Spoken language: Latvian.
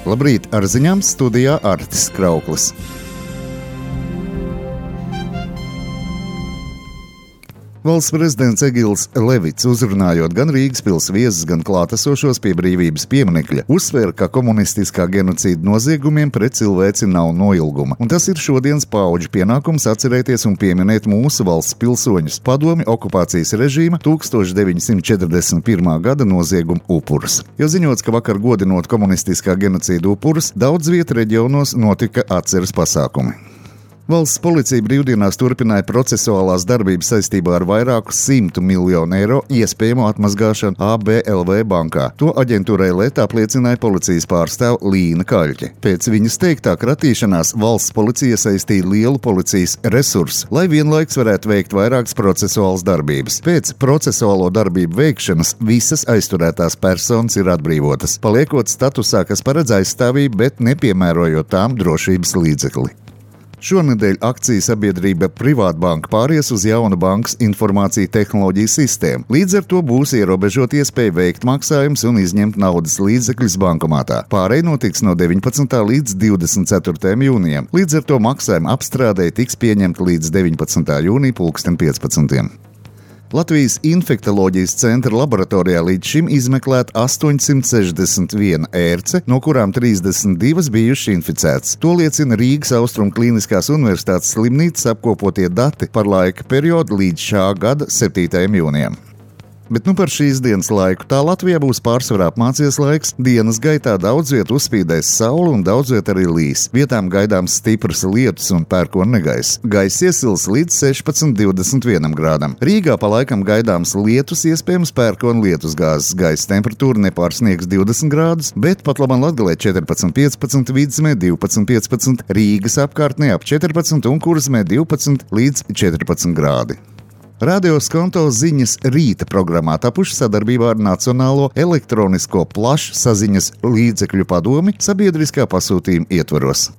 Labrīt, ar ziņām studijā Artis Krauklis. Valsts prezidents Egils Levits, uzrunājot gan Rīgas pils viesus, gan klātesošos pie Brīvības pieminekļa, uzsvēra, ka komunistiskā genocīda noziegumiem pret cilvēci nav noilguma. Un tas ir šodienas paudžu pienākums atcerēties un pieminēt mūsu valsts pilsoņus, padomju okupācijas režīma 1941. gada noziegumu upurus. Jo ziņots, ka vakar godinot komunistiskā genocīda upurus, daudz vietu reģionos notika atceres pasākumi. Valsts policija brīvdienās turpināja procesuālās darbības saistībā ar vairāku 100 miljonu eiro iespējamo atmazgāšanu ABLV bankā. To aģentūrai LET apliecināja policijas pārstāve Līna Kaļķe. Pēc viņas teiktā kratīšanās valsts policija saistīja lielu policijas resursu, lai vienlaiks varētu veikt vairākas procesuālas darbības. Pēc procesuālo darbību veikšanas visas aizturētās personas ir atbrīvotas, paliekot statusā, kas paredz aizstāvību, bet nepiemērojot tām drošības līdzekli. Šonedēļ akciju sabiedrība Privātbanka pāries uz jaunu bankas informāciju tehnoloģiju sistēmu. Līdz ar to būs ierobežot iespēju veikt maksājumus un izņemt naudas līdzekļus bankomātā. Pārēj notiks no 19. līdz 24. jūnijam. Līdz ar to maksājuma apstrādē tiks pieņemta līdz 19. jūnija 15. Latvijas infektoloģijas centra laboratorijā līdz šim izmeklēta 861 ērce, no kurām 32 bijušas inficētas. To liecina Rīgas Austrumu Kliniskās Universitātes slimnīcas apkopotie dati par laika periodu līdz šā gada 7. jūnijam. Bet par šīs dienas laiku tā Latvijā būs pārsvarā apmācies laiks. Dienas gaitā daudz viet uzspīdēs saule un daudz viet arī līs. Vietām gaidāms stipras lietus un pērkona negaiss. Gaiss iesils līdz 16–21 grādam. Rīgā pa laikam gaidāms lietus, iespējams pērkona lietusgāzes. Gaisa temperatūra nepārsniegs 20 grādus, bet pat labam Latgalē 14–15, Vidzemē 12–15, Rīgas apkārtnē ap 14 un Kurzemē 12 līdz 14 grādi. Radio Skonto ziņas rīta programmā tapuši sadarbībā ar Nacionālo elektronisko plašsaziņas līdzekļu padomi sabiedriskā pasūtījuma ietvaros.